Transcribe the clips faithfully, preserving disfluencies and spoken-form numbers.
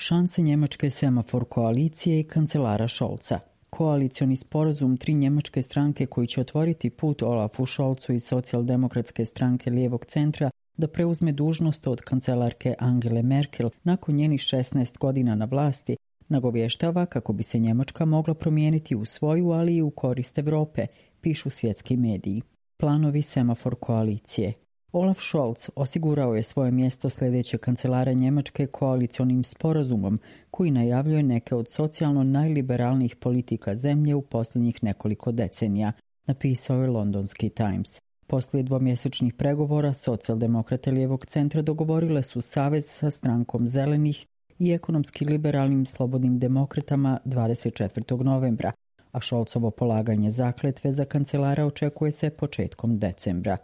šanse njemačke semafor koalicije i kancelara Scholza. Koalicioni sporazum tri njemačke stranke koji će otvoriti put Olafu Scholzu i socijaldemokratske stranke lijevog centra da preuzme dužnost od kancelarke Angele Merkel nakon njenih šesnaest godina na vlasti, nagovještava kako bi se Njemačka mogla promijeniti u svoju, ali i u korist Europe, pišu svjetski mediji. Planovi semafor koalicije. Olaf Scholz osigurao je svoje mjesto sljedeće kancelara Njemačke koalicionim sporazumom koji najavljuje neke od socijalno najliberalnijih politika zemlje u posljednjih nekoliko decenija, napisao je londonski Times. Poslije dvomjesečnih pregovora socijaldemokrate lijevog centra dogovorile su savez sa strankom zelenih i ekonomski liberalnim slobodnim demokratama dvadeset četvrtog novembra, a Scholzovo polaganje zakletve za kancelara očekuje se početkom decembra.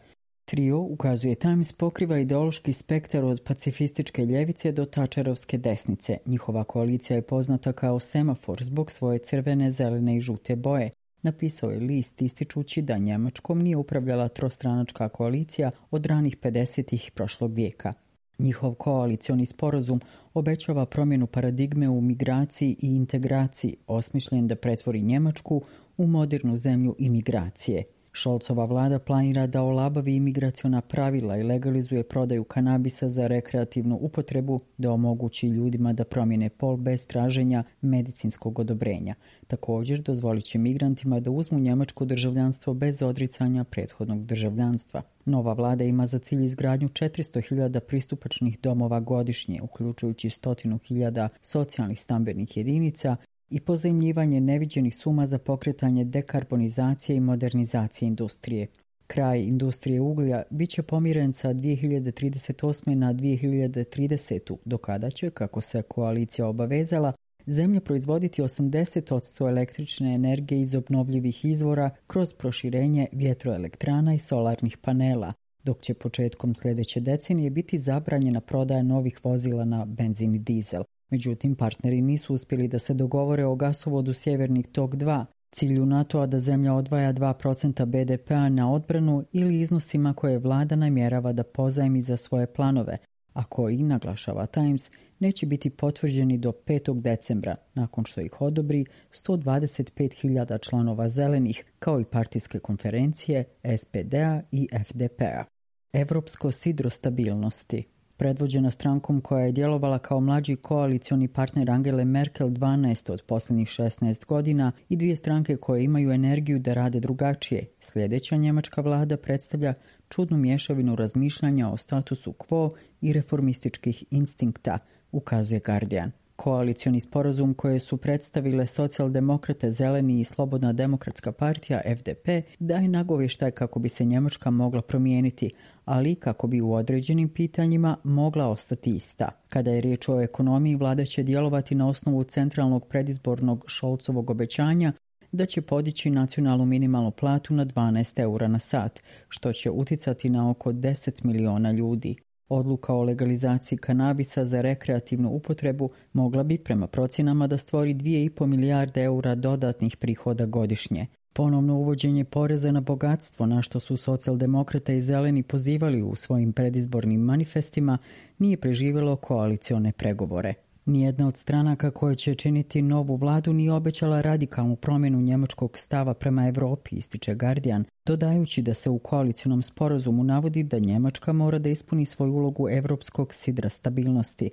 Trio, ukazuje Times, pokriva ideološki spektar od pacifističke ljevice do Thatcherovske desnice. Njihova koalicija je poznata kao semafor zbog svoje crvene, zelene i žute boje, napisao je list ističući da Njemačkom nije upravljala trostranačka koalicija od ranih pedesetih prošlog vijeka. Njihov koalicioni sporazum obećava promjenu paradigme u migraciji i integraciji, osmišljen da pretvori Njemačku u modernu zemlju imigracije. Scholzova vlada planira da olabavi imigraciona pravila i legalizuje prodaju kanabisa za rekreativnu upotrebu, da omogući ljudima da promijene pol bez traženja medicinskog odobrenja. Također dozvolit će migrantima da uzmu njemačko državljanstvo bez odricanja prethodnog državljanstva. Nova vlada ima za cilj izgradnju četiristo hiljada pristupačnih domova godišnje, uključujući stotinu hiljada socijalnih stambenih jedinica i pozajmljivanje neviđenih suma za pokretanje dekarbonizacije i modernizacije industrije. Kraj industrije uglja bit će pomiren sa dvije hiljade trideset osme na dvije hiljade tridesete. do kada će, kako se koalicija obavezala, zemlja proizvoditi osamdeset posto električne energije iz obnovljivih izvora kroz proširenje vjetroelektrana i solarnih panela, dok će početkom sljedeće decenije biti zabranjena prodaja novih vozila na benzin i dizel. Međutim, partneri nisu uspjeli da se dogovore o gasovodu Sjeverni tok dva, cilju NATO-a da zemlja odvaja dva procenta be de pe a na odbranu ili iznosima koje vlada namjerava da pozajmi za svoje planove, a koji, naglašava Times, neće biti potvrđeni do petog decembra, nakon što ih odobri sto dvadeset pet hiljada članova zelenih, kao i partijske konferencije es pe de a i ef de pe a. Evropsko sidro stabilnosti. Predvođena strankom koja je djelovala kao mlađi koalicioni partner Angele Merkel dvanaest od posljednjih šesnaest godina i dvije stranke koje imaju energiju da rade drugačije, sljedeća njemačka vlada predstavlja čudnu mješavinu razmišljanja o statusu quo i reformističkih instinkta, ukazuje Guardian. Koalicioni sporazum koje su predstavile socijaldemokrate, zeleni i slobodna demokratska partija ef de pe daje nagovještaj kako bi se Njemačka mogla promijeniti, ali kako bi u određenim pitanjima mogla ostati ista. Kada je riječ o ekonomiji, vlada će djelovati na osnovu centralnog predizbornog Scholzovog obećanja da će podići nacionalnu minimalnu platu na dvanaest eura na sat, što će uticati na oko deset miliona ljudi. Odluka o legalizaciji kanabisa za rekreativnu upotrebu mogla bi prema procjenama da stvori dvije i pol milijarde eura dodatnih prihoda godišnje. Ponovno uvođenje poreza na bogatstvo, na što su socijaldemokrate i zeleni pozivali u svojim predizbornim manifestima, nije preživjelo koalicione pregovore. Nijedna od stranaka koje će činiti novu vladu nije obećala radikalnu promjenu njemačkog stava prema Europi, ističe Guardian, dodajući da se u koalicionom sporazumu navodi da Njemačka mora da ispuni svoju ulogu europskog sidra stabilnosti.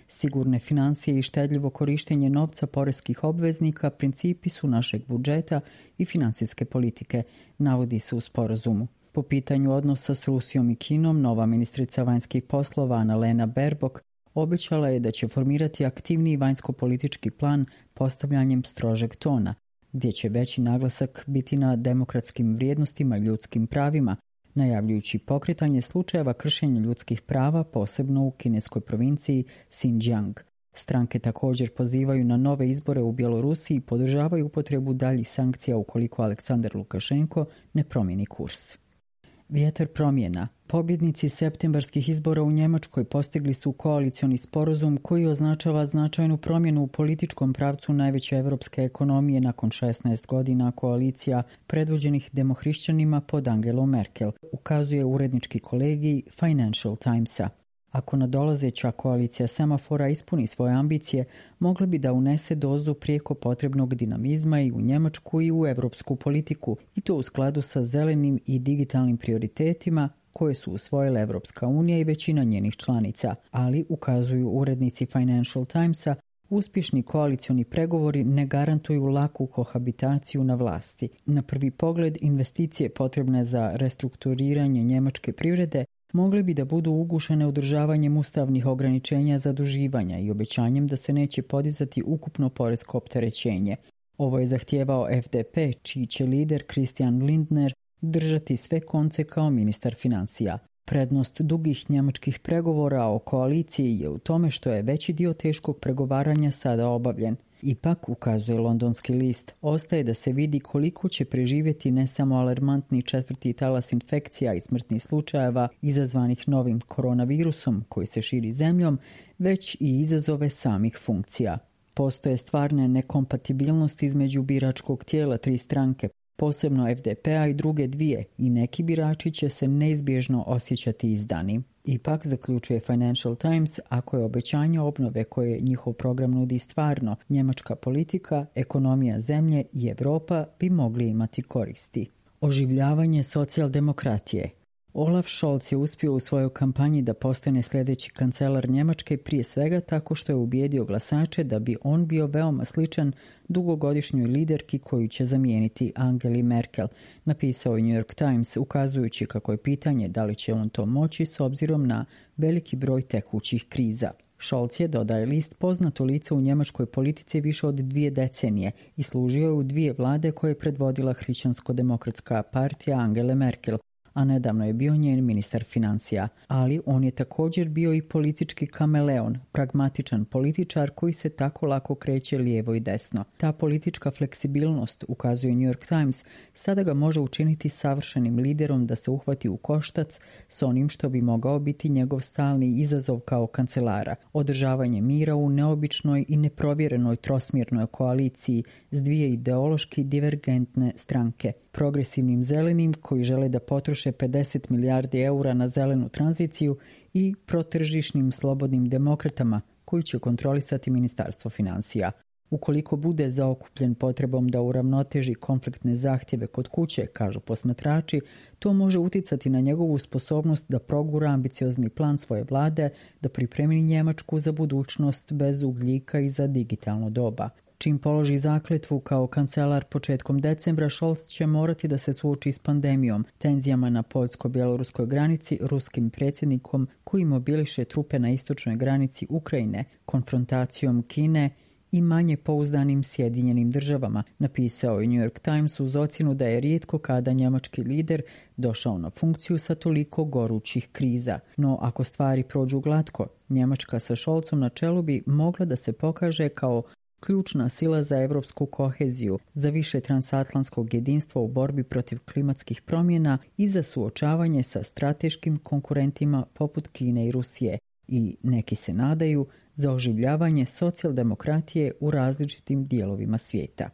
Sigurne financije i štedljivo korištenje novca poreskih obveznika principi su našeg budžeta i financijske politike, navodi se u sporazumu. Po pitanju odnosa s Rusijom i Kinom, nova ministrica vanjskih poslova Annalena Baerbock obećala je da će formirati aktivniji vanjsko-politički plan postavljanjem strožeg tona, gdje će veći naglasak biti na demokratskim vrijednostima i ljudskim pravima, najavljujući pokretanje slučajeva kršenja ljudskih prava, posebno u kineskoj provinciji Xinjiang. Stranke također pozivaju na nove izbore u Bjelorusiji i podržavaju upotrebu daljih sankcija ukoliko Aleksandar Lukašenko ne promijeni kurs. Vjetar promjena. Pobjednici septembarskih izbora u Njemačkoj postigli su koalicioni sporazum koji označava značajnu promjenu u političkom pravcu najveće evropske ekonomije nakon šesnaest godina koalicija predvođenih demohrišćanima pod Angelom Merkel, ukazuje urednički kolegij Financial Timesa. Ako nadolazeća koalicija semafora ispuni svoje ambicije, mogla bi da unese dozu prijeko potrebnog dinamizma i u njemačku i u evropsku politiku, i to u skladu sa zelenim i digitalnim prioritetima koje su usvojile Evropska unija i većina njenih članica, ali, ukazuju urednici Financial Timesa, uspješni koalicioni pregovori ne garantuju laku kohabitaciju na vlasti. Na prvi pogled, investicije potrebne za restrukturiranje njemačke privrede mogle bi da budu ugušene održavanjem ustavnih ograničenja zaduživanja i obećanjem da se neće podizati ukupno poresko opterećenje. Ovo je zahtijevao F D P, čiji će lider Christian Lindner držati sve konce kao ministar financija. Prednost dugih njemačkih pregovora o koaliciji je u tome što je veći dio teškog pregovaranja sada obavljen. Ipak, ukazuje londonski list, ostaje da se vidi koliko će preživjeti ne samo alarmantni četvrti talas infekcija i smrtnih slučajeva izazvanih novim koronavirusom koji se širi zemljom, već i izazove samih funkcija. Postoje stvarne nekompatibilnosti između biračkog tijela tri stranke, posebno F D P-a i druge dvije, i neki birači će se neizbježno osjećati izdani. Ipak, zaključuje Financial Times, ako je obećanje obnove koje njihov program nudi stvarno, njemačka politika, ekonomija zemlje i Europa bi mogli imati koristi. Oživljavanje socijaldemokratije. Olaf Scholz je uspio u svojoj kampanji da postane sljedeći kancelar Njemačke, prije svega tako što je ubijedio glasače da bi on bio veoma sličan dugogodišnjoj liderki koju će zamijeniti Angeli Merkel, napisao je New York Times, ukazujući kako je pitanje da li će on to moći s obzirom na veliki broj tekućih kriza. Scholz je, dodaje list, poznato lice u njemačkoj politici više od dvije decenije i služio je u dvije vlade koje je predvodila Hrišćansko-demokratska partija Angele Merkel, a nedavno je bio njen ministar financija, ali on je također bio i politički kameleon, pragmatičan političar koji se tako lako kreće lijevo i desno. Ta politička fleksibilnost, ukazuje New York Times, sada ga može učiniti savršenim liderom da se uhvati u koštac s onim što bi mogao biti njegov stalni izazov kao kancelara, održavanje mira u neobičnoj i neprovjerenoj trosmjernoj koaliciji s dvije ideološki divergentne stranke, progresivnim zelenim koji žele da potroše pedeset milijardi eura na zelenu tranziciju i protržišnim slobodnim demokratama koji će kontrolisati Ministarstvo financija. Ukoliko bude zaokupljen potrebom da uravnoteži konfliktne zahtjeve kod kuće, kažu posmatrači, to može uticati na njegovu sposobnost da progura ambiciozni plan svoje vlade, da pripremi Njemačku za budućnost bez ugljika i za digitalno doba. Čim položi zakletvu kao kancelar početkom decembra, Scholz će morati da se suoči s pandemijom, tenzijama na poljsko-bjeloruskoj granici, ruskim predsjednikom koji mobiliše trupe na istočnoj granici Ukrajine, konfrontacijom Kine i manje pouzdanim Sjedinjenim državama, napisao je New York Times uz ocjenu da je rijetko kada njemački lider došao na funkciju sa toliko gorućih kriza. No, ako stvari prođu glatko, Njemačka sa Scholzom na čelu bi mogla da se pokaže kao ključna sila za evropsku koheziju, za više transatlantskog jedinstva u borbi protiv klimatskih promjena i za suočavanje sa strateškim konkurentima poput Kine i Rusije i, neki se nadaju, za oživljavanje socijaldemokratije u različitim dijelovima svijeta.